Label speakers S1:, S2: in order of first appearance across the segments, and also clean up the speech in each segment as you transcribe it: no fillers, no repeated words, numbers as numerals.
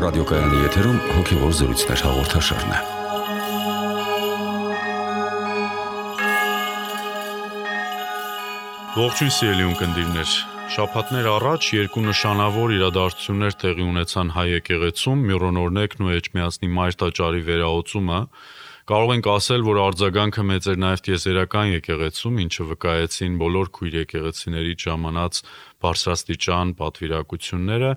S1: ռադիոկայանի եթերում հոգևոր զրույցներ հաղորդաշարն է։
S2: Ողջույն սիրելի ունկնդիրներ, շաբաթներ առաջ երկու նշանավոր իրադարձություններ տեղի ունեցան հայ եկեղեցում՝ Միրոնորնեկն ու Էջմիածնի Մայր տաճարի վերահոսումը։ Կարող ենք ասել, որ արձագանքը մեծ էր նաև տիեզերական եկեղեցում, ինչը վկայեցին բոլոր քույր եկեղեցիներից ժամանած բարձրաստիճան պատվիրակությունները։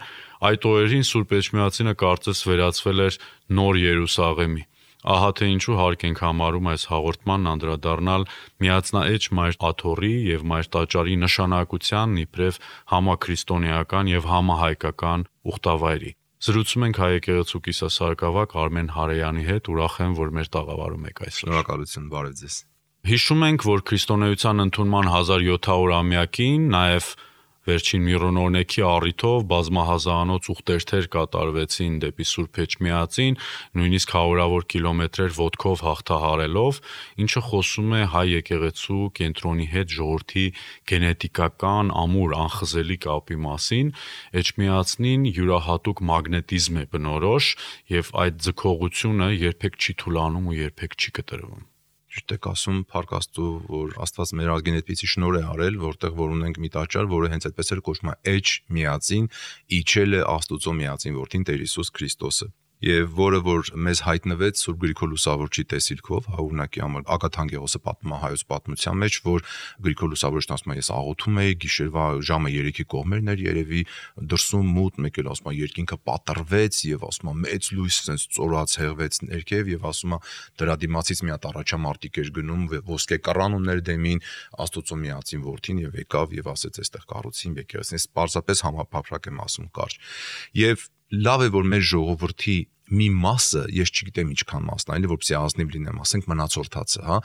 S2: Այդ օրերին Սուրբ Էջմիածինը կարծես վերածվել էր նոր Երուսաղեմի։ Ահա թե ինչու հարկ ենք համարում այս հաղորդմանն անդրադառնալ Միածնաէջ Մայր Աթոռի եւ Մայր տաճարի նշանակությանն իբրև համաքրիստոնեական եւ համահայկական ուխտավայրի։ Զրուցում ենք հայ եկեղեցու կիսասարգսավար Արմեն Հարեյանի հետ, ուրախ եմ, որ մեր տաղավարում եք այսօր։
S3: Շնորհակալություն, բարև ձեզ։
S2: Հիշում ենք, որ քրիստոնեության ընդունման 1700-ամյակին նաև վերջին Միրոնորնեկի առիթով բազմահազանոց ուխտերթեր կատարվեցին դեպի Սուրբ Էջմիածին, նույնիսկ հարյուրավոր կիլոմետրեր ոտքով հաղթահարելով, ինչը խոսում է հայ եկեղեցու կենտրոնի հետ ժողովրդի գենետիկական ամուր անխզելի կապի մասին։ Էջմիածնին յուրահատուկ մագնետիզմ է բնորոշ, եւ այդ ձգողությունը երբեք չի թուլանում ու երբեք չի կտրվում։
S3: Ճիշտ եք ասում, փառք Աստծո, որ Աստված մեր ազգին այդպիսի շնորհ է արել, որտեղ որ ունենք մի տաճար, որը հենց այդպես էլ կոչվում է Էջմիածին, իջել է Աստծո միածին որդին Տեր Հիսուս Քրիստոսը։ Եվ որը որ մեզ հայտնվեց Սուրբ Գրիգոր Լուսավորչի տեսիլքով, օրինակի համար Ագաթան Գեղոսը պատմում է հայոց պատմության մեջ, որ Գրիգոր Լուսավորչն ասում է, ես աղոթում էի, գիշերվա ժամը 3-ի կողմերն էր երևի, դրսում մութ, մեկ էլ ասում է երկինքը պատռվեց եւ ասում է մեծ լույս sense ծորած հեղվեց ներքև եւ ասում է դրա դիմացից մի հատ առաջամարտիկ էր գնում ոսկե կռան ուներ դեմին Աստծո միածին որդին եւ եկավ եւ ասեց այստեղ կառուցին եկեղեցին, պարզապես համապարփակ եմ ասում կարճ։ Եվ լավ է որ մեր ժողովրդի մի մասը, ես չգիտեմ ինչքան մասն, այլ որպեսզի ազնիվ լինեմ, ասենք մնացորդացը, հա,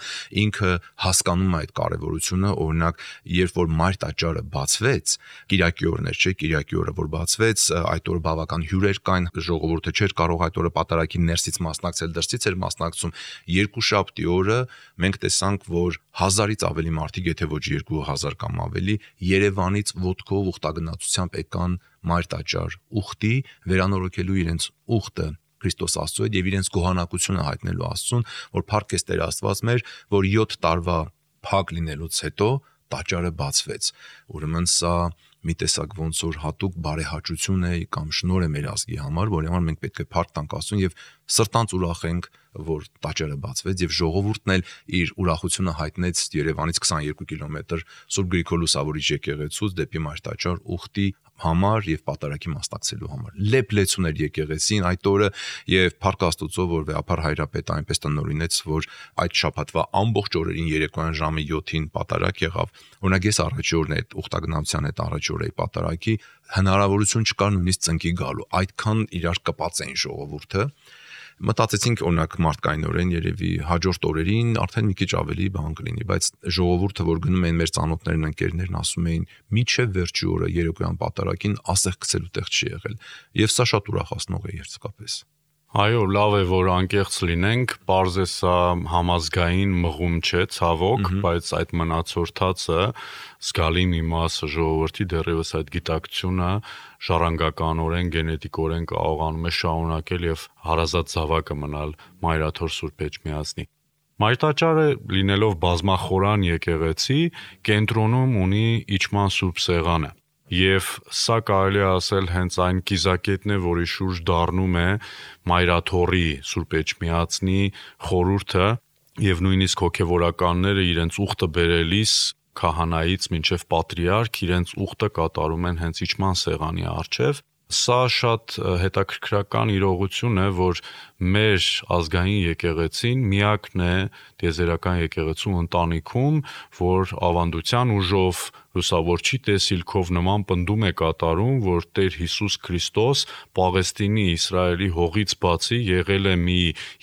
S3: ինքը հասկանում է այդ կարևորությունը, օրինակ, երբ որ Մայր տաճարը բացվեց, Կիրակի օրն էր, չէ, Կիրակի օրը որ բացվեց, այդ օրը բավական հյուրեր կային, ժողովուրդը չէր կարող այդ օրը պատարագի ներսից մասնակցել, դրսից էր մասնակցում։ Երկուշաբթի օրը մենք տեսանք, որ 1000-ից ավելի մարդիկ, եթե ոչ 2000 կամ ավելի, Երևանից ոտքով ուխտագնացությամբ եկան Մայր տաճար ուխտի, վերանորոգելու իրենց ուխտը Քրիստոս Աստծո հետ եւ իրենց գոհանակությունը հայտնելու Աստծուն, որ փառք ես Տեր Աստված մեր, որ 7 տարվա փակ լինելուց հետո տաճարը բացվեց։ Ուրեմն սա մի տեսակ ոնց որ հատուկ բարեհաճություն է կամ շնորհ է մեր ազգի համար, որի համար մենք պետք է փառք տանք Աստծուն եւ սրտանց ուրախ ենք, որ տաճարը բացվեց եւ ժողովուրդն էլ իր ուրախությունը հայտնեց Երևանից 22 կիլոմետր Սուրբ Գրիգոր Լուսավորիչ եկեղեցուց դեպի Մայր տաճար ուխտի համար եւ պատարագի մասնակցելու համար։ Լեփլեցուն էր եկեղեցին այդ օրը եւ փառք Աստծո, որ վեհապար հայրապետը այնպես տնօրինեց, որ այդ շաբաթվա ամբողջ օրերին երեկոյան ժամը 7-ին պատարագ եղավ։ Օրինակ ես առաջի օրն այդ ուխտագնացության հետ առաջի օրեի պատարագի հնարավորություն չկար նույնիսկ ծնկի գալու։ Այդքան իրար կպած էին ժողովուրդը։ Մտածեցինք օրինակ մարդկայինորեն երևի հաջորդ օրերին արդեն մի քիչ ավելի բան կլինի, բայց ժողովուրդը որ գնում էին մեր ծանոթներն ընկերներն ասում էին միչև վերջի օրը երեկոյան պատարագին ասեղ գցելու տեղ չի եղել եւ սա շատ ուրախացնող է երցկապես։
S2: Այո, լավ է, որ անկեղծ լինենք, պարզ է սա համազգային մղում չէ, ցավոք, բայց այդ մնացորդածը զգալի մի մասը ժողովրդի դեռևս այդ գիտակցությունը ժառանգականորեն, գենետիկորեն կարողանում է շարունակել եւ հարազատ զավակը մնալ Մայր Աթոռ Սուրբ Էջմիածնի։ Մայր տաճարը լինելով բազմախորան եկեղեցի, կենտրոնում ունի իջման Սուրբ Սեղանը։ Եվ սա կարելի է ասել հենց այն կիզակետն է, որի շուրջ դառնում է Մայր Աթոռի Սուրբ Էջմիածնի խորհուրդը եւ նույնիսկ հոգեվորականները իրենց ուխտը բերելիս քահանայից մինչև պատրիարք իրենց ուխտը կատարում են հենց իջման սեղանի առջև։ Սա շատ հետաքրքրական իրողություն է, որ մեր ազգային եկեղեցին միակն է տիեզերական եկեղեցու ընտանիքում, որ ավանդության ուժով լուսավորչի տեսիլքով նման պնդում է կատարում, որ Տեր Հիսուս Քրիստոս Պաղեստինի Իսրայելի հողից բացի եղել է մի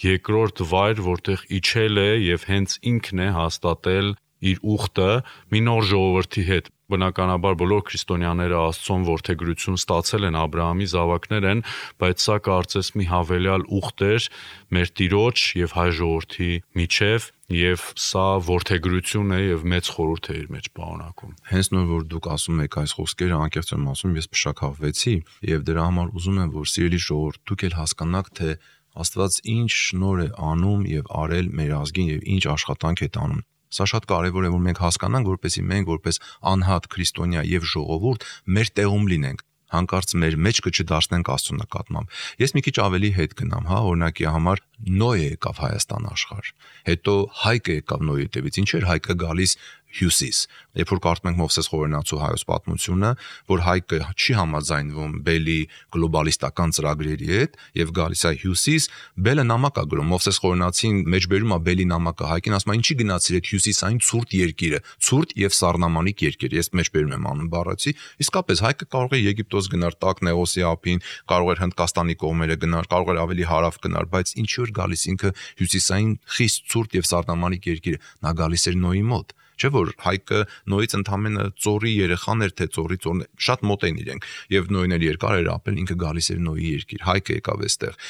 S2: երկրորդ վայր, որտեղ իջել է եւ հենց ինքն է հաստատել իր ուխտը մի նոր ժողովրդի հետ։ Բնականաբար բոլոր քրիստոնյաները Աստծոն որդեգրություն ստացել են, Աբրահամի զավակներ են, բայց սա կարծես մի հավելյալ ուխտ էր մեր Տիրոջ եւ հայ ժողովրդի միջև, եւ սա որդեգրություն է եւ մեծ խորհուրդ է իր մեջ պարունակում։
S3: Հենց նոր որ դուք ասում եք այս խոսքերը, անկեղծ եմ ասում, ես փշակավվեցի եւ դրա համար ուզում եմ, որ սիրելի ժողովուրդ, դուք էլ հասկանաք, թե Աստված ինչ շնորհ է անում եւ արել մեր ազգին եւ ինչ աշխատանք է տանում։ Սա շատ կարևոր է, որ մենք հասկանանք, որպեսզի մենք որպես անհատ քրիստոնյա եւ ժողովուրդ մեր տեղում լինենք, հանկարծ մեր մեջքը չդարձնենք Աստծո նկատմամբ։ Ես մի քիչ ավելի հետ գնամ, օրինակի համար Նոյը եկավ Հայաստան աշխարհ։ Հետո Հայկը եկավ Նոյի հետևից։ Ինչ էր Հայկը գալիս հյուսիս։ Երբ որ կարդում ենք Մովսես Խորենացու հայոց պատմությունը, որ Հայկը չի համաձայնվում Բելի գլոբալիստական ծրագրերի հետ եւ գալիս է հյուսիս, Բելը նամակ է գրում, Մովսես Խորենացին մեջբերում է Բելի նամակը Հայկին, ասում է ինչի գնացիր այդ հյուսիսային ցուրտ երկիրը, ցուրտ եւ սառնամանիկ երկիր, ես մեջբերում եմ անում բառացի, իսկապես Հայկը կարող է Եգիպտոս գնալ տակ Նեոսի ափին, կարող էր Հնդկաստանի կողմերը գնալ, կարող էր ավելի հարավ գնալ, բայց ինչի որ գալիս ինքը հյուսիսային խիստ ցուրտ եւ սառնամանիկ երկիրը, նա գալիս էր Նոյի մոտ։ Չէ՞ որ Հայկը Նոյից ընդամենը ծորի երեխան էր, թե ծորի շատ մոտ են իրենք, եւ Նոյն էլ երկար էր ապրել, ինքը գալիս էր Նոյի երկիր, Հայկը եկավ այստեղ։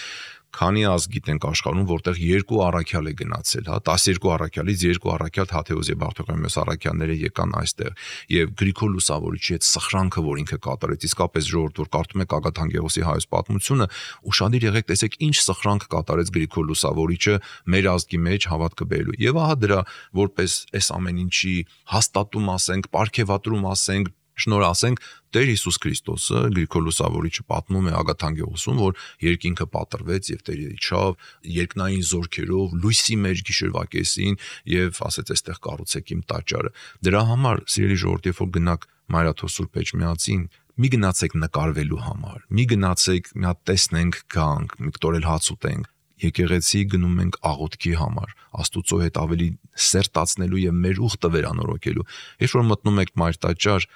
S3: Քանի ազգ գիտենք աշխարհում, որտեղ 2 առաքյալ է գնացել, 12 առաքյալից 2 առաքյալ Թադեոս եւ Բարտոլոմեոս առաքյալները եկան այստեղ եւ Գրիգոր Լուսավորիչի այդ սխրանքը, որ ինքը կատարեց, իսկապես ժողովուրդ, որ կարդում եք Ագաթանկեղոսի հայոց պատմությունը, ուշադիր եղեք, տեսեք ինչ սխրանք կատարեց Գրիգոր Լուսավորիչը մեր ազգի մեջ հավատքը բերելու։ Եվ ահա դրա որպես այս ամեն ինչի հաստատում ասենք, պարգևատրում ասենք, շնորհ ասենք Տեր Հիսուս Քրիստոսը Գրիգոր Լուսավորիչը պատմում է Ագաթանկեղոսում, որ երկինքը պատրվեց եւ Տերը իջավ երկնային զորքերով լույսի մեջ գիշերվա կեսին եւ ասեց այստեղ կառուցեք իմ տաճարը։ Դրա համար սիրելի ժողովուրդ, երբ որ գնաք Մայրաթոր Սուրբ Էջմիածին, մի գնացեք նկարվելու համար, մի գնացեք մի հատ տեսնենք գանք, մի կտորել հաց ուտենք։ Եկեղեցի գնում ենք աղոթքի համար, Աստուծո հետ ավելի սերտացնելու եւ մեր ուխտը վերանորոգելու։ Երբ որ մտնում եք Մայր տաճար,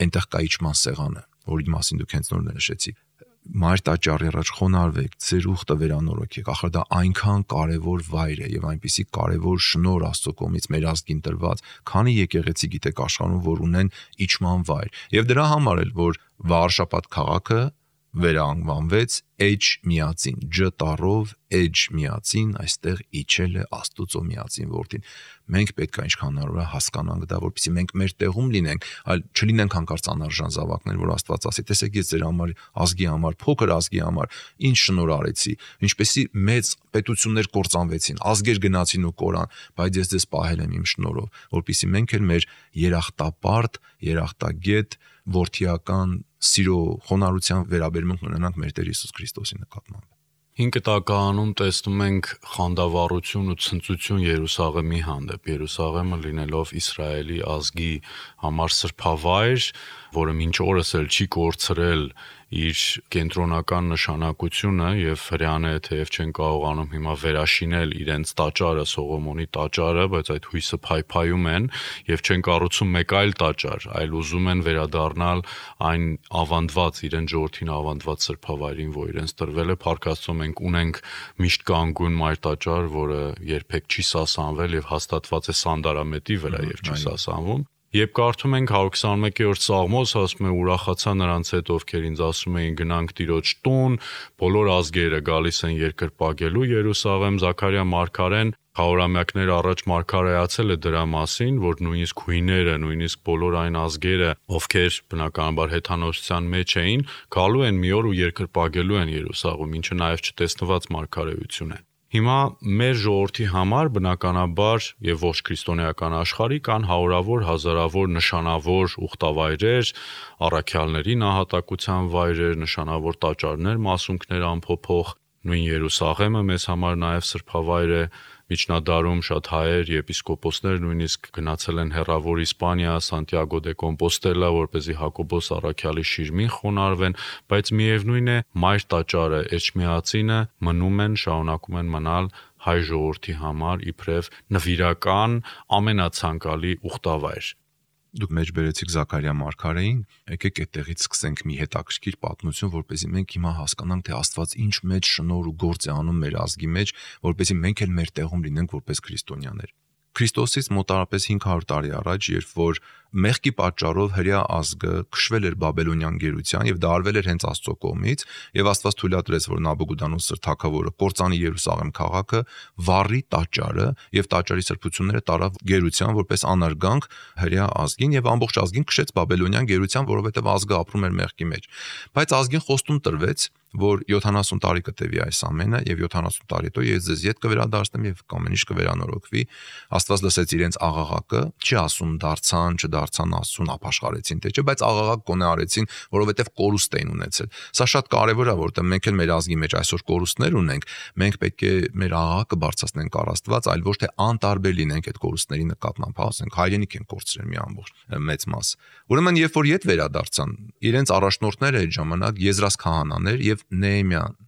S3: այնտեղ կա իջման սեղանը, որի մասին դուք հենց նոր նշեցիք։ Մայր տաճարի առաջ խոնարհվեք, ձեր ուխտը վերանորոգեք, ախր դա այնքան կարևոր վայր է եւ այնպիսի կարևոր շնորհ Աստծո կողմից մեր ազգին տրված, քանի եկեղեցի գիտեք աշխարհում, որ ունեն իջման վայր։ Եվ դրա համար էլ որ Վարշապատ քաղաքը վերանվանվեց Էջ միածին, Ջ տառով Էջ միածին, այստեղ իջել է Աստուծո միածին որդին։ Մենք պետք է ինչքան հնարավոր է հասկանանք դա, որպեսզի մենք մեր տեղում լինենք, այլ չլինենք հանկարծ անարժան զավակներ, որ Աստված ասի, տեսեք ես ձեր համար ազգի համար, փոքր ազգի համար ինչ շնորհ արեցի, ինչպեսի մեծ պետություններ կործանվեցին, ազգեր գնացին ու կորան, բայց ես ձեզ պահել եմ իմ շնորհով, որպեսզի մենք էլ մեր երախտապարտ, երախտագետ, որդիական սիրո խոնարհության վերաբերմունք ունենանք մեր Տեր Հիսուս Քրիստոսի նկատմամբ։
S2: 5 տականում տեսնում ենք խանդավառություն ու ցնծություն Երուսաղեմի հանդեպ։ Երուսաղեմը լինելով Իսրայելի ազգի համար սրբավայր, որը մինչ օրս էլ չի կորցրել իր կենտրոնական նշանակությունը եւ հрьяաները թեև չեն կարողանում հիմա վերաշինել իրենց տաճարը, Սողոմոնի տաճարը, բայց այդ հույսը փայփայում են եւ չեն կառուցում մեկ այլ տաճար, այլ ուզում են վերադառնալ այն ավանդված, իրեն ժողովրդին ավանդված սրբավայրին, որ իրենց տրվել է։ Փառք Աստծո, մենք ունենք միշտ կանգուն մայր տաճար, որը երբեք չի սասանվել եւ հաստատված է սանդարամետի վրա եւ չի սասանվում։ Երբ կարդում ենք 121-րդ Սաղմոս, ասում է ուրախացա նրանց հետ, ովքեր ինձ ասում էին գնանք Տիրոջ տուն, բոլոր ազգերը գալիս են երկրպագելու Երուսաղեմ։ Զաքարիա մարգարեն խորամյակներ առաջ մարգարեացել է դրա մասին, որ նույնիսկ հույները, նույնիսկ բոլոր այն ազգերը, ովքեր բնականաբար հեթանոսության մեջ էին, գալու են մի օր ու երկրպագելու են Երուսաղեմ, ինչը նաև չտեսնված մարգարեություն է։ Հիմա մեր ժողովրդի համար բնականաբար եւ ոչ քրիստոնեական աշխարհի կան հարյուրավոր, հազարավոր նշանավոր ուխտավայրեր, առաքյալների նահատակության վայրեր, նշանավոր տաճարներ, մասունքներ ամփոփող, նույն Երուսաղեմը մեզ համար նաեւ սրբավայր է։ Միջնադարում շատ հայեր, եպիսկոպոսներ նույնիսկ գնացել են հեռավոր Իսպանիա, Սանտիագո դե Կոմպոստելա, որպեսզի Հակոբոս առաքյալի շիրմին խոնարհվեն, բայց միևնույն է, մայր տաճարը, Էջմիածինը մնում են, շարունակում են մնալ հայ ժողովրդի համար իբրև նվիրական ամենացանկալի ուխտավայր։
S3: Դուք մեջ բերեցիք Զաքարիա մարգարեին, եկեք այդտեղից սկսենք մի հետաքրքիր պատմություն, որպեսզի մենք հիմա հասկանանք, թե Աստված ինչ մեծ շնորհ ու գործ է անում մեր ազգի մեջ, որպեսզի մենք էլ մեր տեղում լինենք որպես քրիստոնյաներ։ Քրիստոսից մոտարապես 500 տարի առաջ, երբ որ մեղքի պատճառով հրեա ազգը քշվել էր Բաբելոնյան գերության եւ դա արվել էր հենց Աստծո կողմից, եւ Աստված թույլատրեց, որ Նաբուգոդոնոսոր թագավորը կործանի Երուսաղեմ քաղաքը, վառի տաճարը եւ տաճարի սրբությունները տարավ գերության որպես անարգանք հրեա ազգին եւ ամբողջ ազգին քշեց Բաբելոնյան գերության, որովհետեւ ազգը ապրում էր մեղքի մեջ։ Բայց ազգին խոստում տրվեց, որ 70 տարի կտևի այս ամենը եւ 70 տարի հետո ես ձեզ ետ կվերադարձնեմ եւ ամեն ինչ կվերանորոգվի։ Աստված լսեց իրենց աղաղակը, չի ասում դարձան, չդարձան Աստծուն ապաշխարեցին թե չէ, բայց աղաղակ կոնե արեցին, որովհետեւ կորուստ էին ունեցել։ Սա շատ կարեւոր է, որովհետեւ մենք էլ մեր ազգի մեջ այսօր կորուստներ ունենք, մենք պետք է մեր աղաղակը բարձրացնենք առ Աստված, այլ ոչ թե անտարբեր լինենք այդ կորուստների նկատմամբ, ասենք հայրենիք են կորցրել մի ամբողջ մեծ մաս։ Ուրեմն երբ որ ետ վերադարձան, իրենց առաջնորդները այդ ժամանակ Եզրաս քահանաներ եւ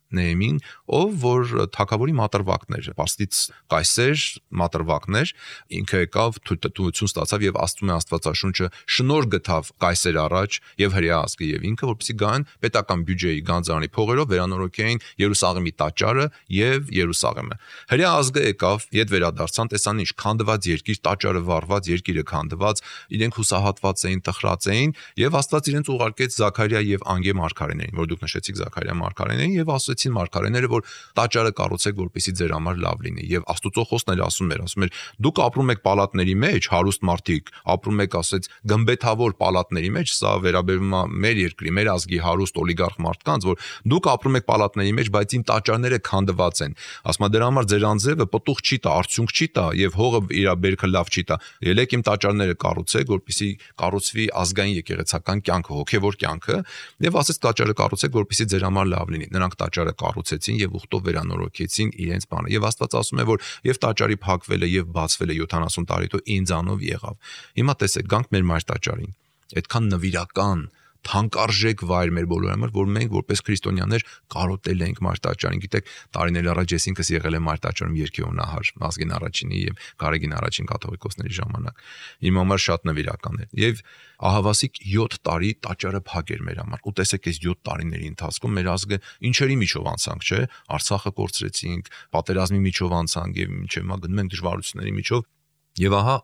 S3: Նեեմին, ով որ թագավորի մատրվակն էր, Պարսից կայսեր մատրվակներ, ինքը եկավ թույլտվություն ստացավ եւ Աստծո Աստվածաշունչը շնորհ գտավ կայսեր առաջ եւ հրեա ազգը եւ ինքը, որպեսզի գան պետական բյուջեի գանձարանի փողերով վերանորոգեին Երուսաղեմի տաճարը եւ Երուսաղեմը։ Հրեա ազգը եկավ, իդ վերադարձան, տեսան ինչ քանդված երկիր, տաճարը վառված, երկիրը քանդված, իրենք հուսահատված էին, տխրած էին եւ Աստված իրենց ուղարկեց Զաքարիա եւ Անգե մարգարեներին, որ դուք նշեցիք Զաքարիա մարգարեներին եւ ասեցին մարգարեները, որ տաճարը կառուցեք, որպեսզի ձեր համար լավ լինի եւ Աստուծո խոսքն էլ ասում էր, դուք ապրում եք պալատների մեջ, հարուստ մարդիկ, ապրում եք, ասեց, գմբեթավոր պալատների մեջ, սա վերաբերում է մեր երկրի, մեր ազգի հարուստ օլիգարխ մարդկանց, որ դուք ապրում եք պալատների մեջ, բայց իմ տաճարները քանդված են։ Ասում է դրա համար ձեր անձևը պտուղ չի տա, արդյունք չի տա եւ հողը իր բերքը լավ չի տա։ Ելեք իմ տաճարները կառուցեք, որպեսզի կառուցվի ազգային եկեղեցական կյանքը, հոգեվոր կյանքը, եւ ասեց տաճարը կառուցեք, որպեսզի ձեր համար լավ լինի։ Նրանք տաճարը կառուցեցին եւ ուխտով վերանորոգեցին իրենց բանը։ Եվ Աստված ասում է, որ եւ տաճարի փակվելը եւ բացվելը 70 տարի հետո ինձանով եղավ։ Հիմա տեսեք, գանք մեր մայր տաճարին։ Այդքան նվիրական թանկարժեք վայր մեր բոլորի համար, որ մենք որպես քրիստոնյաներ կարոտել ենք մարտաճարին։ Գիտեք, տարիներ առաջ ես ինքս եղել եմ մարտաճարում երկիոնահար, Ազգին առաջինի եւ Գարեգին առաջին կաթողիկոսների ժամանակ։ Իմ համար շատ նվիրական էր։ Եվ ահավասիկ 7 տարի տաճարը փակ էր մեր համար։ Ու տեսեք, այս 7 տարիների ընթացքում մեր ազգը ինչերի միջով անցանք, չէ՞։ Արցախը կորցրեցինք, պատերազմի միջով անցանք եւ մինչեւ հիմա գնում ենք դժվարությունների միջով։ Եվ ահա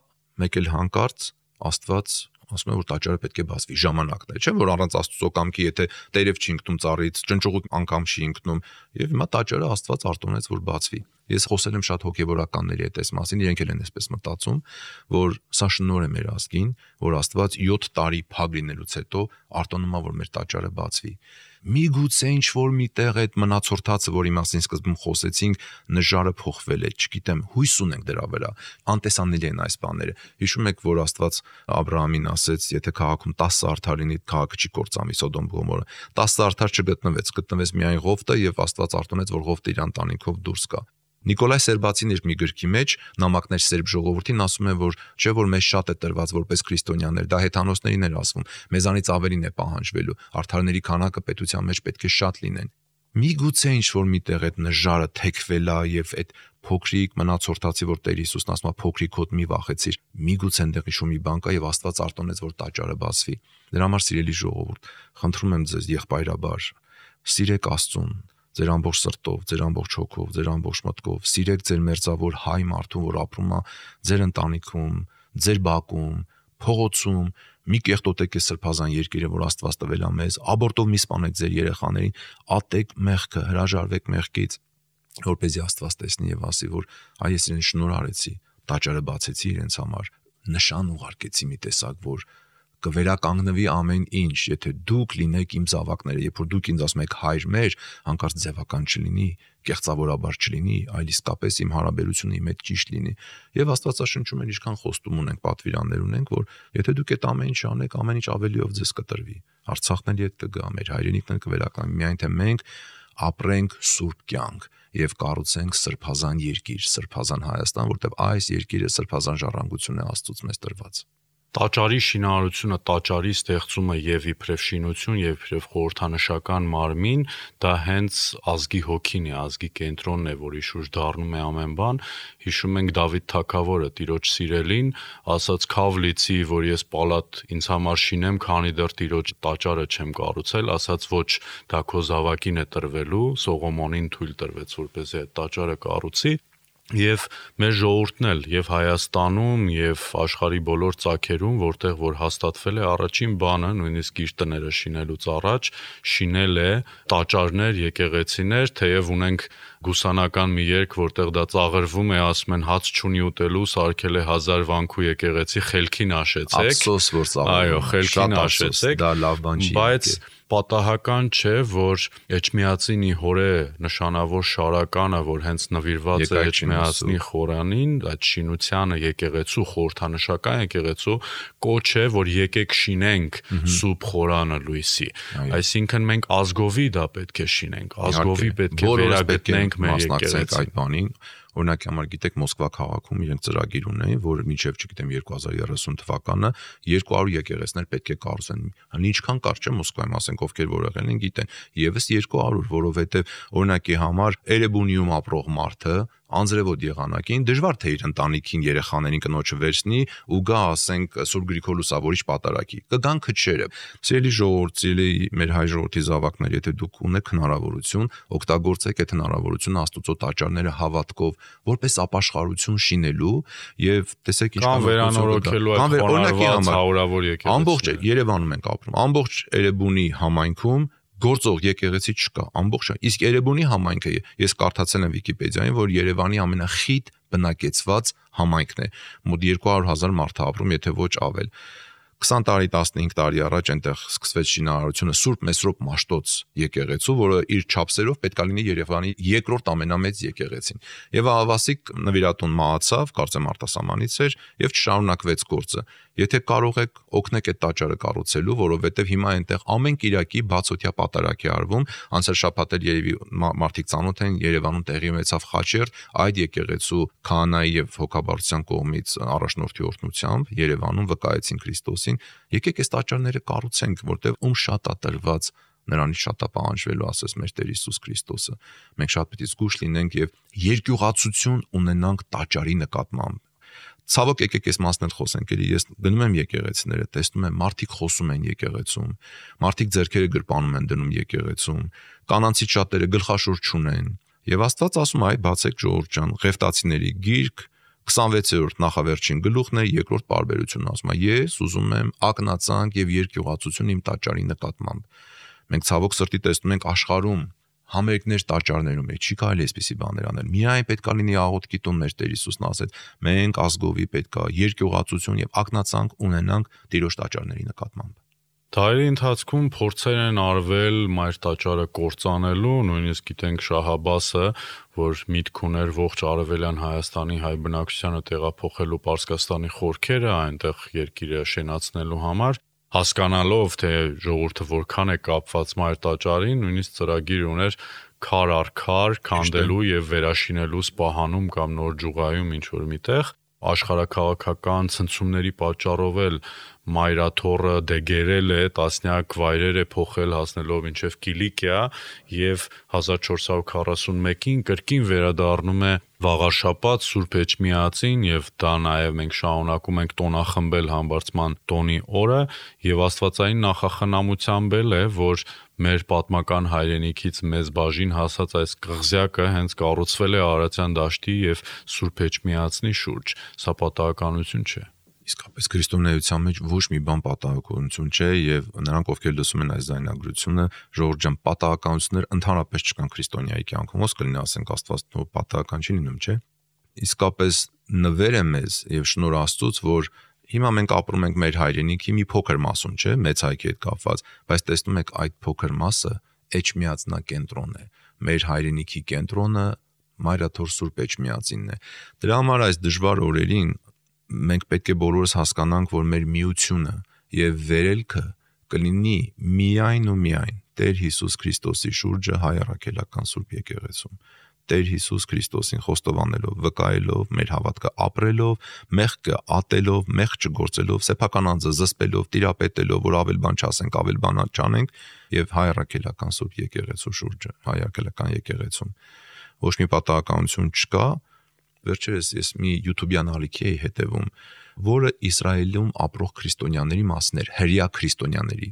S3: մեկ էլ հանկարծ Աստված ասում է, որ տաճարը պետք է բացվի, ժամանակն է, չէ՞ որ առանց Աստծո կամքի, եթե տերև չի ընկնում ծառից, ճնճուղուկ անգամ չի ընկնում, եւ հիմա տաճարը Աստված արտոնեց, որ բացվի։ Ես խոսել եմ շատ հոգեվորականների հետ այս մասին, իրենք էլ են այսպես մտածում, որ սա շնորհ է մեր ազգին, որ Աստված 7 տարի փակ լինելուց հետո արտոնում է, որ մեր տաճարը բացվի։ Միգուցե ինչ որ միտեղ այդ մնացորդածը, որի մասին սկզբում խոսեցինք, նժարը փոխվել է, չգիտեմ, հույս ունենք դրա վրա, անտեսանելի են այս բաները։ Հիշում եք, որ Աստված Աբրահամին ասեց, եթե քաղաքում 10 արդար լինի, քաղաքը չի կործանվի Սոդոմ Գոմորը։ 10 արդար չգտնվեց միայն Ղովտը, եւ Աստված արտոնեց, որ Ղովտը իր ընտանիքով դուրս գա։ Նիկոլայ Սերբացին իր մի գրքի մեջ նամակներ սերբ ժողովրդին ասում է, որ չէ որ մեզ շատ է տրված որպես քրիստոնյաներ, դա հեթանոսներին էր ասվում, մեզանից ավելին է պահանջվելու, արդարների քանակը պետության մեջ պետք է շատ լինեն։ Միգուցե ինչ որ միտեղ այդ նժարը թեքվել է եւ այդ փոքրիկ մնացորդացի, որ Տեր Հիսուսն ասում է փոքրիկ հոտ մի վախեցիր, միգուցե այնտեղ ինչ-որ մի բան կա եւ Աստված արտոնեց, որ տաճարը բացվի։ Դրա համար սիրելի ժողովուրդ, խնդրում եմ ձեզ եղբայրաբար, սիրեք Աստծուն ձեր ամբողջ սրտով, ձեր ամբողջ հոգով, ձեր ամբողջ մտքով, սիրեք ձեր մերձավոր հայ մարդուն, որ ապրում է ձեր ընտանիքում, ձեր բակում, փողոցում, մի կեղտոտեք այս սրբազան երկիրը, որ Աստված տվել է մեզ, աբորտով մի սպանեք ձեր երեխաներին, ատեք մեղքը, հրաժարվեք մեղքից, որպեսզի Աստված տեսնի եւ ասի, որ այ ես իրեն շնորհ արեցի, տաճարը բացեցի իրենց համար, նշան ուղարկեցի մի տեսակ, որ կվերականգնվի ամեն ինչ, եթե դուք լինեք իմ զավակները, երբ որ դուք ինձ ասում եք հայր մեր, հանկարծ ձևական չլինի, կեղծավորաբար չլինի, այլ իսկապես իմ հարաբերությունը իմ հետ ճիշտ լինի։ Եվ Աստվածաշնչում էլ ինչքան խոստում ունենք, պատվիրաններ ունենք, որ եթե դուք այդ ամեն ինչ անեք, ամեն ինչ ավելիով ձեզ կտրվի։ Արցախն էլ ետ կգա, մեր հայրենիքն էլ կվերականգնվի, միայն թե մենք ապրենք սուրբ կյանք եւ կառուցենք սրբազան երկիր, սրբազան Հայաստան, որտեղ այս երկիրը սրբազան ժառանգություն է Աստծուց մեզ տրված։
S2: Տաճարի շինարարությունը, տաճարի ստեղծումը եւ իբրև շինություն եւ իբրև խորհրդանշական մարմին, դա հենց ազգի հոգին է, ազգի կենտրոնն է, որի շուրջ դառնում է ամեն բան։ Հիշում ենք Դավիթ թագավորը, Տիրոջ սիրելին, ասաց «Քավ լիցի, որ ես պալատ ինձ համար շինեմ, քանի դեռ Տիրոջ տաճարը չեմ կառուցել», ասաց «Ոչ, դա քո զավակին է տրվելու», Սողոմոնին թույլ տրվեց, որպեսզի այդ տաճարը կառուցի։ Եվ մեր ժողովուրդն էլ եւ Հայաստանում եւ աշխարհի բոլոր ծագերում, որտեղ որ հաստատվել է առաջին բանը, նույնիսկ իր տները շինելուց առաջ, շինել է տաճարներ, եկեղեցիներ, թեև ունենք գուսանական մի երգ, որտեղ դա ծաղրվում է, ասում են հաց չունի ուտելու, սարքել է 1000 վանքու եկեղեցի, խելքին աշեցեք։
S3: Ափսոս որ ծաղրում։
S2: Այո, խելքին աշեցեք։
S3: Դա լավ բան չի։
S2: Բայց պատահական չէ, որ Էջմիածինի հորե նշանավոր շարականը, որ հենց նվիրված է Էջմիածնի խորանին, այդ շինությանը եկեղեցու, խորհրդանշական եկեղեցու, կոչ է, որ եկեք շինենք սուրբ խորանը լույսի։ Այսինքն մենք ազգովի դա պետք է շինենք, ազգովի պետք է վերագտնենք մեր եկեղեցին։
S3: Այդ բանին օրինակի համար գիտեք Մոսկվա քաղաքում իրենք ծրագիր ունեն, որ մինչև չգիտեմ 2030 թվականը 200 եկեղեցիներ պետք է կառուցեն։ Հələ ինչքան կարճ է Մոսկվայում, ասենք ովքեր որ եղել են գիտեն, եւս 200, որովհետեւ օրինակի համար Էրեբունիում ապրող մարդը անձրևոտ եղանակին դժվար թե իր ընտանիքին երեխաներին կնոջը վերցնի ու գա ասենք Սուրբ Գրիգոր Լուսավորիչ պատարագի։ Կգան քչերը։ Սիրելի ժողովուրդ, սիրելի մեր հայ ժողովրդի զավակներ, եթե դուք ունեք հնարավորություն, օգտագործեք այդ հնարավորությունը Աստուծո տաճարները հավատքով, որպես ապաշխարություն շինելու եւ տեսեք ինչքան
S2: վերանորոգելու այդ խոնարհված հարյուրավոր եկեղեցիներ։
S3: Ամբողջ Երևանում ենք ապրում, ամբողջ Էրեբունի համայնքում գործող եկեղեցի չկա, ամբողջը։ Իսկ Երևանի համայնքը ես կարդացել եմ Վիկիպեդիայում, որ Երևանի ամենախիտ բնակեցված համայնքն է։ Մոտ 200,000 մարդ է ապրում, եթե ոչ ավել։ 20 տարի, 15 տարի առաջ այնտեղ սկսվեց շինարարությունը Սուրբ Մեսրոպ Մաշտոց եկեղեցու, որը իր չափսերով պետք է լինի Երևանի երկրորդ ամենամեծ եկեղեցին։ Եվ Ահավասիկ նվիրատուն մահացավ, կարծեմ արտասահմանից էր, եւ չշարունակվեց գործը։ Եթե կարող եք օգնեք այդ տաճարը կառուցելու, որովհետեւ հիմա այնտեղ ամեն Կիրակի բացօթյա պատարագ է արվում, անցյալ շաբաթ էլ երևի մարդիկ ծանոթ են, Երևանում տեղի ունեցավ խաչերտ այդ եկեղեցու քահանայի եւ հոգաբարձության կողմից առաջնորդի օրհնությամբ Երևանում վկայեցին Քրիստոսին։ Եկեք այս տաճարները կառուցենք, որտեղ ում շատ է տրված նրանից շատ է պահանջվելու, ասես մեր Տեր Հիսուս Քրիստոսը։ Մենք շատ պետք է զգուշ լինենք եւ երկյուղացություն ունենանք տաճարի նկատմամբ։ Ցավոք եկեք այս մասն էլ խոսենք, էլի ես գնում եմ եկեղեցիները, տեսնում եմ մարդիկ խոսում են եկեղեցում, մարդիկ ձեռքերը գրպանում են դնում եկեղեցում, կանանցից շատերը գլխաշոր չունեն։ Եվ Աստված ասում է, այ բացեք ժողովուրդ ջան, Ղևտացիների գիրք 26-րդ նախավերջին գլուխն է, երկրորդ պարբերությունն ասում է. ես ուզում եմ ակնածանք եւ երկյուղացություն իմ տաճարի նկատմամբ։ Մենք ցավոք սրտի տեսնում ենք աշխարհում համերգներ տաճարներում է, չի կարելի այսպիսի բաներ անել։ Միայն պետք է լինի աղոթքի տուն, մեր Տեր Հիսուսն ասեց, մենք ազգովի պետք է երկյուղացություն եւ ակնածանք ունենանք Տիրոջ տաճարների նկատմամբ։
S2: Դարերի ընթացքում փորձեր են արվել մայր տաճարը կործանելու, նույնիսկ գիտենք Շահ Աբբասը, որ միտք ուներ ողջ արևելյան Հայաստանի հայ բնակչությանը տեղափոխելու Պարսկաստանի խորքերը, այնտեղ երկիրը շենացնելու համար, հասկանալով թե ժողովուրդը որքան է կապված մայր տաճարին, նույնիսկ ծրագիր ուներ քար առ քար քանդելու եւ վերաշինելու Սպահանում կամ Նոր Ջուղայում ինչ որ միտեղ, աշխարհակաղակական ցնցումների պատճառով էլ մայրաթոռը դեգերել է, տասնյակ վայրեր է փոխել հասնելով մինչև Կիլիկիա եւ 1441-ին կրկին վերադառնում է վաղաշաբաթ Սուրբ Էջմիածին եւ դա նաեւ մենք շարունակում ենք տոնախմբել համբարձման տոնի օրը եւ աստվածային նախախնամությամբ էլ է, որ մեր պատմական հայրենիքից մեծ բաժին հասած այս կղզյակը հենց կառուցվել է Արարատյան դաշտի եւ Սուրբ Էջմիածնի շուրջ, սա պատահականություն չէ։
S3: Իսկապես քրիստոնեության մեջ ոչ մի բան պատահականություն չէ եւ նրանք ովքեր լսում են այս զայնագրությունը ժողովուրդ ջան պատահականություններ ընդհանրապես չկան քրիստոնյայի կյանքում ոնց կլինի ասենք Աստված նո պատահական չի լինում չէ իսկապես նվեր է մեզ եւ շնորհ Աստծուց որ հիմա մենք ապրում ենք մեր հայրենիքի մի փոքր մասում չէ մեծ հայքի հետ կապված բայց տեսնում եք այդ փոքր մասը Էջմիածնակենտրոնն է մեր հայրենիքի կենտրոնը Մայրաթոր Սուրբ Էջմիածինն է դրա համար այս դժվար օրերին մենք պետք է բոլորս հասկանանք, որ մեր միությունը եւ վերելքը կլինի միայն ու միայն Տեր Հիսուս Քրիստոսի շուրջը հայ առաքելական Սուրբ եկեղեցում։ Տեր Հիսուս Քրիստոսին խոստովանելով, վկայելով, մեր հավատքը ապրելով, մեղքը ատելով, մեղք չգործելով, սեփական անձը զսպելով, տիրապետելով, որ ավել բան չասենք, ավել բան չանենք եւ հայ առաքելական Սուրբ եկեղեցու շուրջը, հայ առաքելական եկեղեցում։ Ոչ մի պատահականություն չկա։ Վերջերս ես մի YouTube-յան ալիքի էի հետևում, որը Իսրայելում ապրող քրիստոնյաների մասն էր, հրեա քրիստոնյաների։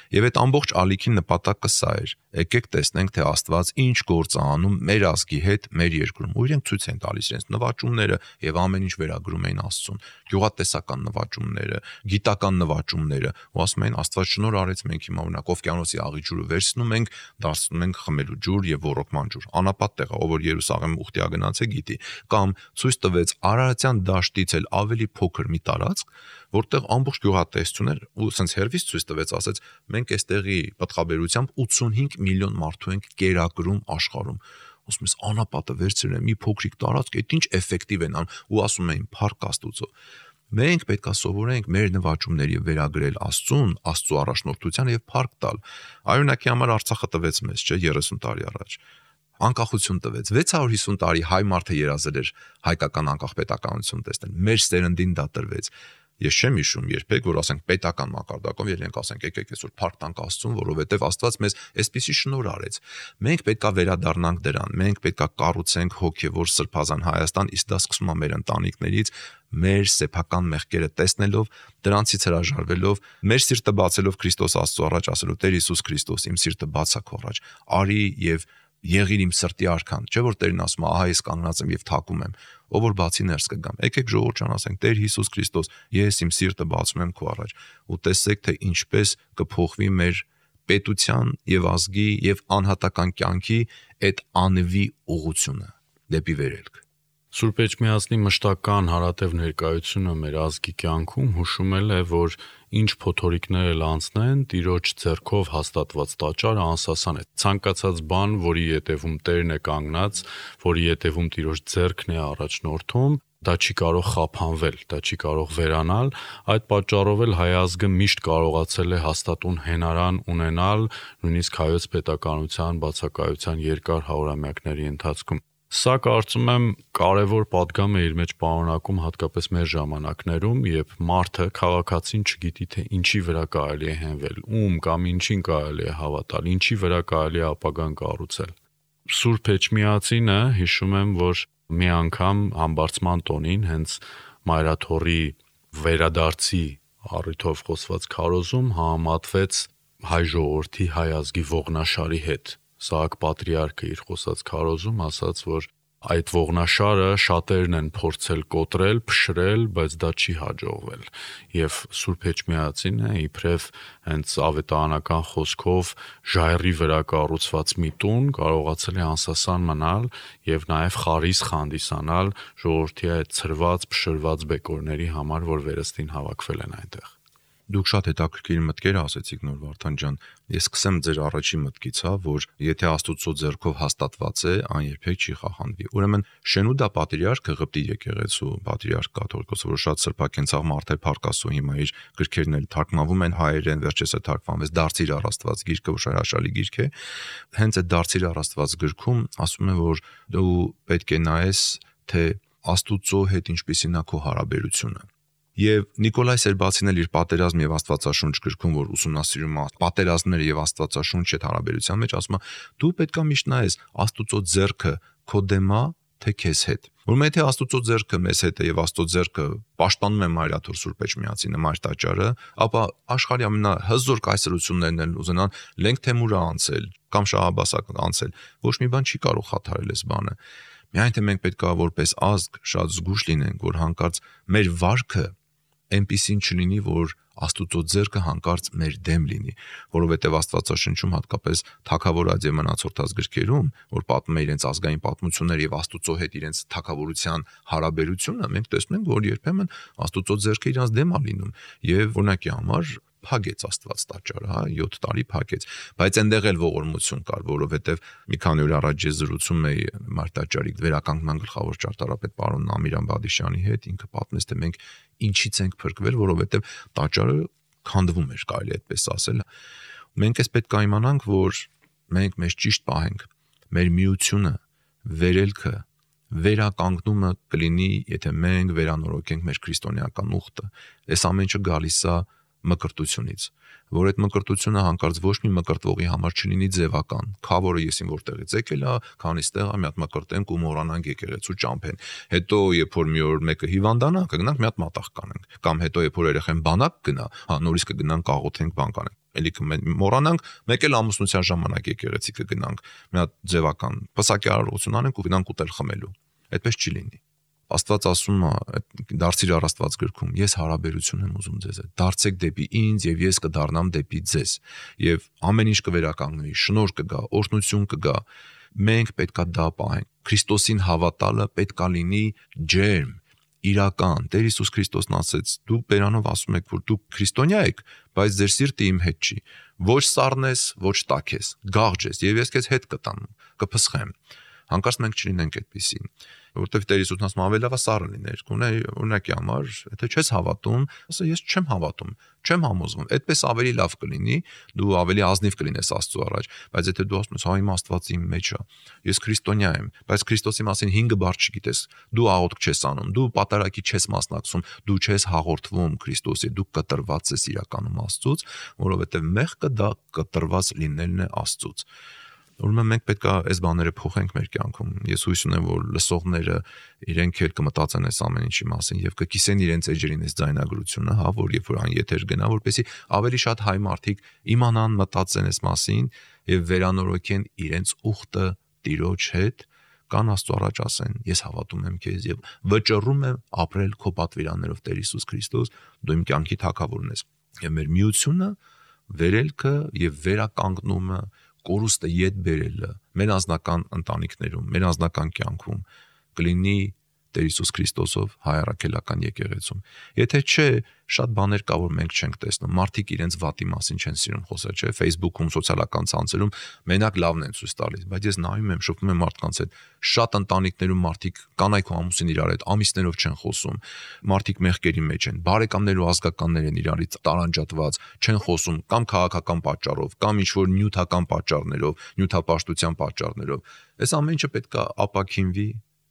S3: Եվ այդ ամբողջ ալիքի նպատակը սա էր. եկեք տեսնենք, թե Աստված ինչ գործ է անում մեր ազգի հետ, մեր երկրում։ Ու իրենք ցույց են տալիս իրենց նվաճումները եւ ամեն ինչ վերագրում էին Աստծուն։ Գյուղատեսական նվաճումները, գիտական նվաճումները, ու ասում են Աստված շնորհ արեց, մենք հիմա օրինակ Օվկիանոսի աղի ջուրը վերցնում ենք, դարձնում ենք խմելու ջուր եւ ոռոգման ջուր։ Անապատ տեղ է, ով որ Երուսաղեմ ուխտիա գնաց է գիտի։ Կամ ցույց տվեց Արարատյան դաշտից էլ ավելի փոքր մի տարածք, որտեղ ամբողջ գյուղատեսություն էր ու սենց հերվից ցույց տվեց, ասեց մենք այստեղի պատխաբերությամբ 85 միլիոն մարդու ենք կերակրում աշխարհում։ Ասում ես անապատը վերցրել մի փոքրիկ տարածք, այդ ինչ էֆեկտիվ են անում ու ասում էին փառք Աստծո։ Մենք պետք է սովորենք մեր նվաճումների վերագրել Աստծուն, Աստծո առաջնորդությանը եւ փառք տալ։ Արյունակի համար Արցախը տվեց մեզ, չէ, 30 տարի առաջ։ Անկախություն տվեց 650 տարի հայ մարդը երազել էր հայկական անկախ պետականություն տեսնել։ Մեր սերնդին դա տրվեց։ Ես չեմ հիշում երբեք, որ ասենք պետական մակարդակով ելենք ասենք եկեք այսօր փառք տանք Աստծուն, որովհետև Աստված մեզ այսպիսի շնորհ արեց։ Մենք պետքա վերադառնանք դրան, մենք պետքա կառուցենք հոգևոր սրբազան Հայաստան, իսկ դա սկսում է մեր ընտանիքներից, մեր սեփական մեղքերը տեսնելով, դրանցից հրաժարվելով, մեր սիրտը բացելով Քրիստոս Աստծո առաջ, ասելով Տեր Հիսուս Քրիստոս, իմ սիրտը բաց է քո առաջ, արի եւ եղիր իմ սրտի արքան, չէ՞ որ Տերն ասում է, ահա ես կանգնած եմ եւ թակում եմ, ով որ բացի ներս կգամ։ Եկեք ժողովուրդ ջան, ասենք Տեր Հիսուս Քրիստոս, ես իմ սիրտը բացում եմ քո առաջ, ու տեսեք թե ինչպես կփոխվի մեր պետության եւ ազգի եւ անհատական կյանքի այդ անվի ուղղությունը դեպի վերելք։
S2: Սուրբ Էջմիածնի մշտական հարատև ներկայությունը մեր ազգի կյանքում հուշումել է, որ ինչ փոթորիկներ էլ անցնեն, Տիրոջ ձեռքով հաստատված տաճարը անսասան է։ Ցանկացած բան, որի ետևում Տերն է կանգնած, որի ետևում Տիրոջ ձեռքն է առաջնորդում, դա չի կարող խափանվել, դա չի կարող վերանալ։ Այդ պատճառով էլ հայ ազգը միշտ կարողացել է հաստատուն հենարան ունենալ, նույնիսկ հայոց պետականության բացակայության երկար հարյուրամյակների ընթացքում։ Սա կարծում եմ կարևոր պատգամ է իր մեջ պարունակում հատկապես մեր ժամանակներում, երբ մարդը քաղաքացին չգիտի թե ինչի վրա կարելի է հենվել, ում կամ ինչին կարելի է հավատալ, ինչի վրա կարելի է ապագան կառուցել։ Սուրբ Էջմիածինը հիշում եմ, որ մի անգամ համբարձման տոնին հենց Մայրաթորի վերադարձի առիթով խոսված քարոզում համատվեց հայ ժողովրդի հայ ազգի ողնաշարի հետ։ Սահակ պատրիարքը իր խոսած քարոզում ասաց, որ այդ ողնաշարը շատերն են փորձել կոտրել, փշրել, բայց դա չի հաջողվել։ Եվ Սուրբ Էջմիածինը իբրև հենց ավետարանական խոսքով ժայռի վրա կառուցված մի տուն կարողացել է անսասան մնալ եւ նաեւ խարիսխ հանդիսանալ ժողովրդի այդ ցրված, փշրված բեկորների համար, որ վերստին հավաքվել են այնտեղ։
S3: Դուք շատ հետաքրքիր մտքեր ասեցիք Նոր Վարդան ջան։ Ես սկսեմ ձեր առաջի մտքից, որ եթե Աստուծո ձեռքով հաստատված է, այն երբեք չի խախանվի։ Ուրեմն Շենուդա պատրիարքը Ղպտի եկեղեցու պատրիարք կաթողիկոսը, որ շատ սրբակենցաղ մարդ է, փառքասու հիմա իր գրքերն էլ թարգմանվում են հայերեն, վերջերս է թարգմանվեց Դարձիր առ Աստված գիրքը, որ հրաշալի գիրք է։ Հենց այդ Դարձիր առ Աստված գրքում ասում է, որ դու պետք է նայես, թե Աստուծո հետ ինչպիսին է քո հարաբերությունը։ Եվ Նիկոլայ Սերբացին էլ իր պատերազմ եւ Աստվածաշունչ գրքում, որ ուսումնասիրում է պատերազմները եւ Աստվածաշունչ այդ հարաբերության մեջ, ասում է դու պետք է միշտ նայես Աստուծո ձեռքը քո դեմա թե քեզ հետ։ Որ եթե Աստուծո ձեռքը մեզ հետ է եւ Աստծո ձեռքը պաշտպանում է Մայրաթոր Սուրբ Էջմիածինը, Մայր տաճարը, ապա աշխարհի ամենահզոր կայսրություններն են ուզենան Լենգ Թեմուրը անցել կամ Շահաբասը անցել։ Ոչ մի բան չի կարող խաթարել այս բանը։ Միայն թե մենք պետք է որպես ազգ շատ զգուշ լինենք, որ հանկարծ մեր վարքը այնպիսին չլինի, որ Աստուծո ձեռքը հանկարծ մեր դեմ լինի, որովհետև Աստվածաշնչում հատկապես Թագավորաց եւ մնացորդած գրքերում, որ պատմում է իրենց ազգային պատմությունները եւ Աստուծո հետ իրենց թագավորության հարաբերությունը, մենք տեսնում ենք, որ երբեմն Աստուծո ձեռքը իրանց դեմ է լինում եւ օրինակի համար փակեց Աստված տաճարը, 7 տարի փակեց, բայց այնտեղ էլ ողորմություն կար, որովհետև մի քանի օր առաջ ես զրուցում էի Մայր տաճարի վերականգնման գլխավոր ճարտարապետ պարոն Ամիրան Բադիշյանի հետ, ինքը պատմեց, թե մենք ինչից ենք փրկվել, որովհետև տաճարը քանդվում էր, կարելի է այդպես ասել։ Մենք էս պետք է իմանանք, որ մենք մեզ ճիշտ պահենք, մեր միությունը, վերելքը, վերականգնումը կլինի, եթե մենք վերանորոգենք մեր քրիստոնեական ուխտը։ Այս ամենը գալիս է մկրտությունից, որ այդ մկրտությունը հանկարծ ոչ մի մկրտվողի համար չլինի ձևական, քավորը եսին որտեղից եկել է, քանից տեղ մի հատ մկրտենք ու մոռանանք եկեղեցու ճամփեն։ Հետո երբ որ մի օր մեկը հիվանդանա, կգնանք մի հատ մատաղ կանենք, կամ հետո երբ որ երեխան բանակ գնա, նորից կգնանք աղոթենք բան կանենք։ Էլի մոռանանք, մեկ էլ ամուսնության ժամանակ եկեղեցի կգնանք, մի հատ ձևական պսակի արարողություն անենք ու գնանք ուտել խմելու։ Այդպես չի լինի։ Աստված ասում է դարձիր առ Աստված գրքում, ես հարաբերություն եմ ուզում ձեզ հետ, դարձեք դեպի ինձ եւ ես կդառնամ դեպի ձեզ, եւ ամեն ինչ կվերականգնվի, շնորհ կգա, օրհնություն կգա, մենք պետքա դա պահենք, Քրիստոսին հավատալը պետքա լինի ջերմ, իրական, Տեր Հիսուս Քրիստոսն ասեց, դուք բերանով ասում եք, որ դուք քրիստոնյա եք, բայց ձեր սիրտը իմ հետ չի, ոչ սառն ես, ոչ տաք ես, գաղջ ես, եւ ես քեզ հետ կտամ, կփսխեմ, հանկարծ մենք չլինենք այդպիսին, որովհետև Տեր Հիսուսն ասում ավելի լավ է սառը լիներ, օրինակի համար, եթե չես հավատում, ասա ես չեմ հավատում, չեմ համոզվում, այդպես ավելի լավ կլինի, դու ավելի ազնիվ կլինես Աստծո առաջ, բայց եթե դու ասում ես, հա իմ Աստվածը իմ մեջ է, ես քրիստոնյա եմ, բայց Քրիստոսի մասին 5 բառ չգիտես, դու աղոթք չես անում, դու պատարագի չես մասնակցում, դու չես հաղորդվում Քրիստոսի, դու կտրված ես իրականում Աստծուց, որովհետև մեղքը դա կտրված լինելն է Աստծուց։ Ուրեմն մենք պետք է այս բաները փոխենք մեր կյանքում։ Ես հույս ունեմ, որ լսողները իրենք էլ կմտածեն այս ամեն ինչի մասին եւ կկիսեն իրենց էջերին այս ձայնագրությունը, հա, որ երբ որ այն եթեր գնա, որպեսզի ավելի շատ հայ մարդիկ իմանան, մտածեն այս մասին եւ վերանորոգեն իրենց ուխտը Տիրոջ հետ, կան Աստծո առաջ ասեն. ես հավատում եմ քեզ եւ վճռում եմ ապրել քո պատվիրաններով, Տեր Հիսուս Քրիստոս, դու իմ կյանքի թագավորն ես։ Եվ մեր միությունը, վերելքը եւ վերականգնումը կորուստը ետ բերելը մեր անձնական ընտանիքներում, մեր անձնական կյանքում կլինի Տեր Հիսուս Քրիստոսով հայ առաքելական եկեղեցում։ Եթե չէ, շատ բաներ կա, որ մենք չենք տեսնում։ Մարդիկ իրենց վատի մասին չեն սիրում խոսել, չէ՞, Facebook-ում, սոցիալական ցանցերում մենակ լավն են ցույց տալիս, բայց ես նայում եմ, շփվում եմ մարդկանց հետ, շատ ընտանիքներում մարդիկ կանայք ու ամուսին իրար հետ ամիսներով չեն խոսում, մարդիկ մեղքերի մեջ են, բարեկամներ ու ազգականներ են իրարից տարանջատված, չեն խոսում կամ քաղաքական պատճառով, կամ ինչ-որ նյութական պատճառներով, նյութապաշտության պատճառներով։ Այս ամեն ինչը պետք է ապաքինվի,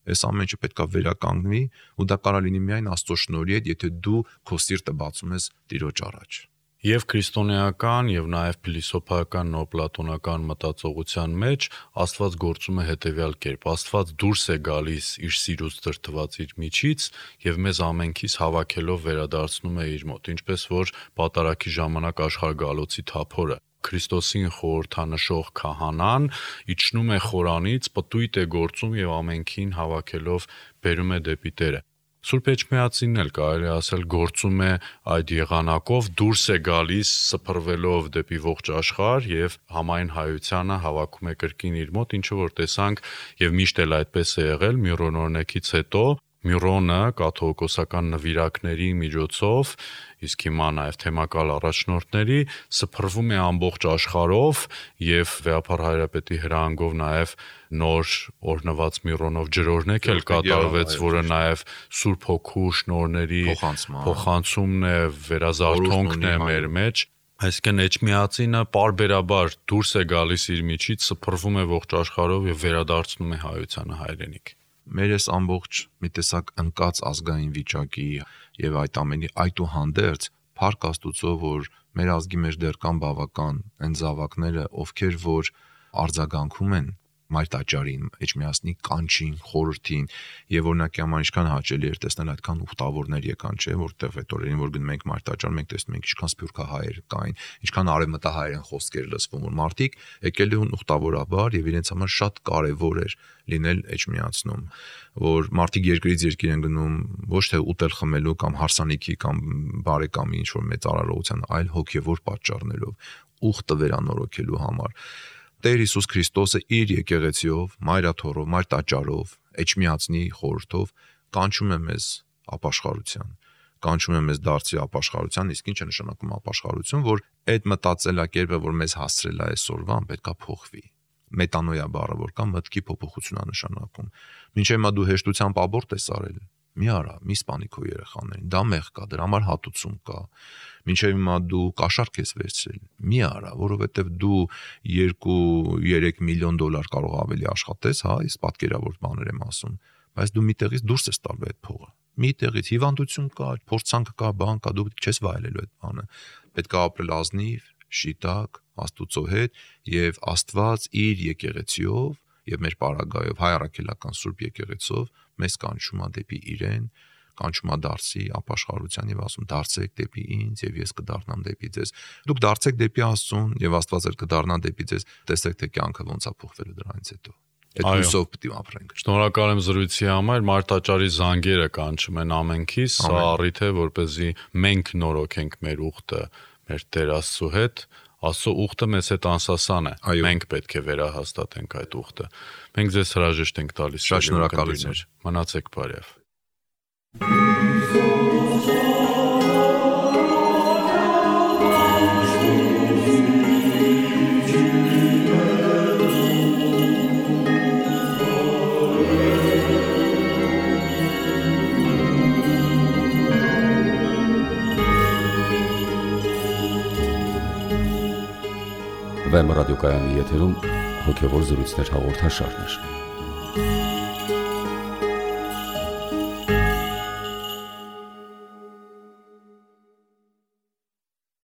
S3: այս ամեն ինչը պետք է վերականգնվի ու դա կարող լինի միայն Աստծո շնորհի հետ, եթե դու քո սիրտը բացում ես Տիրոջ առաջ։
S2: Եվ քրիստոնեական եւ նաեւ փիլիսոփայական նոպլատոնական մտածողության մեջ Աստված գործում է հետեւյալ կերպ. Աստված դուրս է գալիս իր սիրուց դրդված իր միջից եւ մեզ ամենքից հավաքելով վերադարձնում է իր մոտ, ինչպես որ պատարագի ժամանակ աշխարհգալոցի թափորը Քրիստոսին խորհրդանշող քահանան իջնում է խորանից, պտույտ է գործում եւ ամենքին հավաքելով բերում է դեպի Տերը։ Սուրբ Էջմիածինն էլ կարելի ասել գործում է այդ եղանակով, դուրս է գալիս սփռվելով դեպի ողջ աշխարհ եւ համայն հայությանը հավաքում է կրկին իր մոտ, ինչը որ տեսանք եւ միշտ էլ այդպես է եղել Միրոն օրնեկից հետո։ Միրոնը կաթողիկոսական նվիրակների միջոցով, իսկ հիմա նաև թեմակալ առաջնորդների սփռվում է ամբողջ աշխարհով եւ Վեհափառ Հայրապետի հրահանգով նաև նոր օրնված Միրոնով ջրօրհնեք էլ կատարվեց, որը նաև Սուրբ Հոգու շնորհների փոխանցումն է, վերազարթոնքն է մեր մեջ։ Այսինքն Էջմիածինը պարբերաբար դուրս է գալիս իր միջից, սփռվում է ողջ աշխարհով եւ վերադարձնում է հայությանը հայրենիք։
S3: Մեր այս ամբողջ մի տեսակ ընկած ազգային վիճակի եւ այդ ամենի այդուհանդերձ փառք Աստուծո, որ մեր ազգի մեջ դեռ կան բավական այն զավակները, ովքեր որ արձագանքում են մայր տաճարին, Էջմիածնի կանչին, խորհրդին եւ օրինակի համար ինչքան հաճելի էր տեսնել այդքան ուխտավորներ եկան, չէ, որտեղ այդ օրերին որ գնում ենք մայր տաճար, մենք տեսնում ենք ինչքան սփյուռքահայեր կային, ինչքան արևմտահայերեն խոսքեր լսվում, որ մարդիկ եկել են ուխտավորաբար եւ իրենց համար շատ կարեւոր էր լինել Էջմիածնում, որ մարդիկ երկրից երկիր են գնում ոչ թե ուտել խմելու կամ հարսանիքի կամ բարեկամի ինչ որ մեծ արարողության, այլ հոգեվոր պատճառներով ուխտը վերանորոգելու համար։ Տեր Հիսուս Քրիստոսը իր եկեղեցիով, մայրաթոռով, մայր տաճարով, Էջմիածնի խորհրդով կանչում է մեզ ապաշխարության, կանչում է մեզ դարձի ապաշխարության, իսկ ինչ է նշանակում ապաշխարություն, որ այդ մտածելակերպը, որ մեզ հասցրել է այսօրվան, պետքա փոխվի։ Մետանոյա բառը, որ կա մտքի փոփոխություն է նշանակում։ Մինչև հիմա դու հեշտությամբ աբորտ ես արել, մի արա, մի սպանի քո երեխաներին, դա մեղ կա, դրա համար հատուցում կա։ Մինչև հիմա դու կաշառք ես վերցրել, մի արա, որովհետև դու 2-3 միլիոն դոլար կարող ավելի աշխատես, հա, ես պատկերավոր բաներ եմ ասում, բայց դու միտեղից դուրս ես տալու այդ փողը։ մի տեղից հիվանդություն կա, փորձանք կա, բան կա, դու չես վայելելու այդ բանը։ Պետք է ապրել ազնիվ, շիտակ, Աստուծո հետ եւ Աստված իր եկեղեցիով եւ մեր պարագայով հայ առաքելական Սուրբ եկեղեցով մեզ կանչում է դեպի իրեն, կանչում է դարձի ապաշխարության եւ ասում դարձեք դեպի ինձ եւ ես կդառնամ դեպի ձեզ։ Դուք դարձեք դեպի Աստծուն եւ Աստված էլ կդառնա դեպի ձեզ։ Տեսեք թե կյանքը ոնց է փոխվելու դրանից հետո։ Այդ հույսով պետք է ապրենք։
S2: Շնորհակալ եմ զրույցի համար։ Մարտաճարի զանգերը կանչում են ամենքիս, սա առիթ է, որպեսզի մենք նորոգենք մեր ուխտը մեր Տեր Աստծո հետ։ Աստծո ուխտը մեզ հետ անսասան է։ Մենք պետք է վերահաստատենք այդ ուխտը։ Մենք ձեզ հրաժեշտ ենք տալիս։
S3: Շատ շնորհակալություն։
S2: Մնացեք բարև։
S1: Վեմ ռադիոկայանի եթերում հոգևոր զրույցներ հաղորդաշարներ։